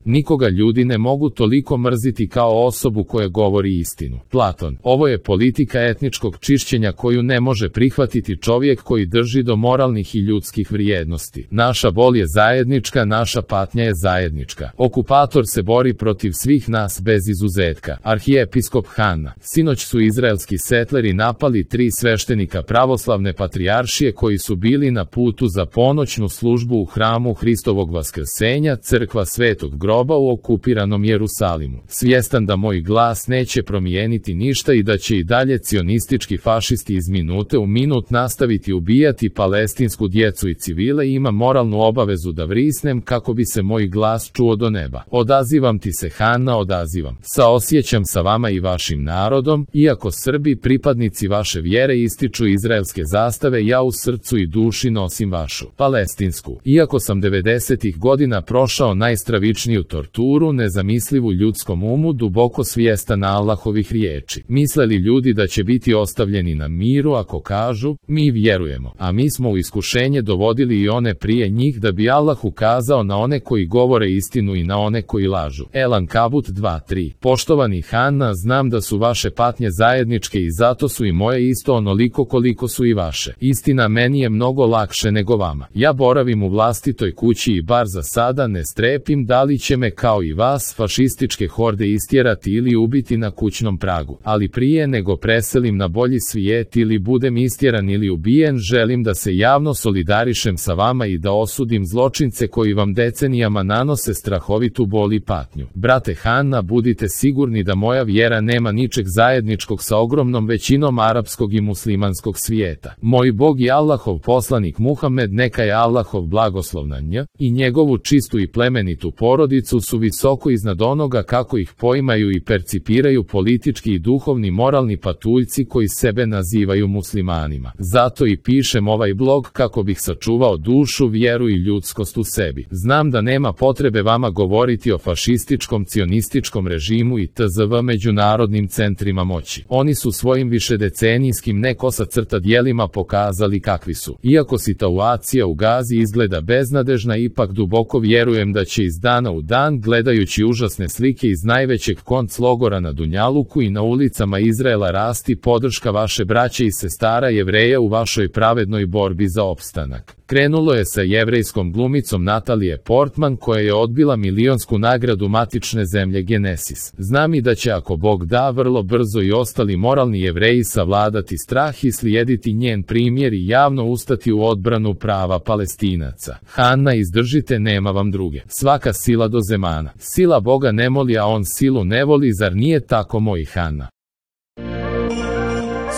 Nikoga ljudi ne mogu toliko mrziti kao osobu koja govori istinu. Platon. Ovo je politika etničkog čišćenja koju ne može prihvatiti čovjek koji drži do moralnih i ljudskih vrijednosti. Naša bol je zajednička, naša patnja je zajednička. Okupator se bori protiv svih nas bez izuzetka. Arhijepiskop Hanna. Sinoć su izraelski setleri napali 3 sveštenika pravoslavne patrijaršije koji su bili na putu za ponoćnu službu u hramu Hristovog vaskrsenja, crkva Svetog groba u okupiranom Jerusalimu. Svjestan da moj glas neće promijeniti ništa i da će i dalje cionistički fašisti iz minute u minut nastaviti ubijati palestinsku djecu i civile, ima moralnu obavezu da vrisnem kako bi se moj glas čuo do neba. Odazivam ti se, Hanna, odazivam. Saosjećam sa vama i vašim narodom, iako Srbi, pripadnici vaše vjere, ističu izraelske zastave, ja u srcu i duši nosim vašu palestinsku. Iako sam 90-ih godina prošao najstravičniju torturu, nezamislivu ljudskom umu, duboko svjestan Allahovih riječi. Misle li ljudi da će biti ostavljeni na miru ako kažu, mi vjerujemo, a mi smo u iskušenje dovodili i one prije njih da bi Allah ukazao na one koji govore istinu i na one koji lažu. Elan Kabut 2:3. Poštovani Hanna, znam da su vaše patnje zajedničke i zato su i moje isto onoliko koliko su i vaše. Istina, meni je mnogo lakše nego vama. Ja boravim u vlastitoj kući i bar za sada ne strepim da li će me kao i vas fašističke horde istjerati ili ubiti na kućnom pragu. Ali prije nego preselim na bolji svijet ili budem istjeran ili ubijen, želim da se javno solidarišem sa vama i da osudim zločince koji vam decenijama nanose strahovitu bol i patnju. Brate Hanna, budite sigurni da moja vjera nema ničeg zajedničkog sa ogromnom većinom arapskog i muslimanskog svijeta. Moj Bog i Allahov poslanik Muhammed, neka je Allahov blagoslov na nj, i njegovu čistu i plemenitu porodicu su visoko iznad onoga kako ih poimaju i percipiraju politički i duhovni moralni patuljci koji sebe nazivaju muslimanima. Zato i pišem ovaj blog kako bih sačuvao dušu, vjeru i ljudskost u sebi. Znam da nema potrebe vama govoriti o fašističkom, cionističkom režimu i tzv. Međunarodnim centrima moći. Oni su svojim višedecenijskim nekosa crta djelima pokazali kakvi su. Iako situacija u Gazi izgleda beznadežna, ipak duboko vjerujem da će iz dana u dan, gledajući užasne slike iz najvećeg konclogora na Dunjaluku i na ulicama Izraela, rasti podrška vaše braće i sestara Jevreja u vašoj pravednoj borbi za opstanak. Krenulo je sa jevrejskom glumicom Natalije Portman koja je odbila milionsku nagradu matične zemlje Genesis. Znam i da će, ako Bog da, vrlo brzo i ostali moralni Jevreji savladati strah i slijediti njen primjer i javno ustati u odbranu prava Palestinaca. Hanna, izdržite, nema vam druge. Svaka sila do zemana. Sila Boga ne moli, a on silu ne voli, zar nije tako, moj Hanna?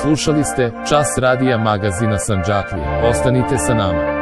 Slušali ste Čas radija magazina Sandžaklije. Ostanite sa nama.